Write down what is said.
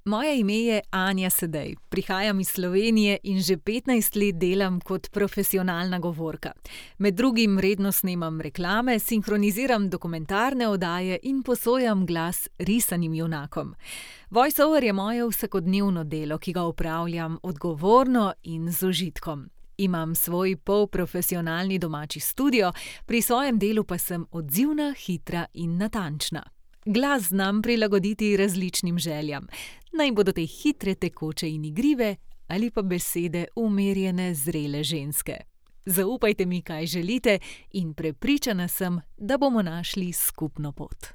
Moje ime je Anja Sedej, prihajam iz Slovenije in že 15 let delam kot profesionalna govorka. Med drugim redno snemam reklame, sinhroniziram dokumentarne oddaje in posojam glas risanim junakom. Voice-over je moje vsakodnevno delo, ki ga opravljam odgovorno in z užitkom. Imam svoj polprofesionalni domači studio, pri svojem delu pa sem odzivna, hitra in natančna. Glas znam prilagoditi različnim željam. Naj bodo te hitre, tekoče in igrive ali pa besede umirjene, zrele ženske. Zaupajte mi, kaj želite, in prepričana sem, da bomo našli skupno pot.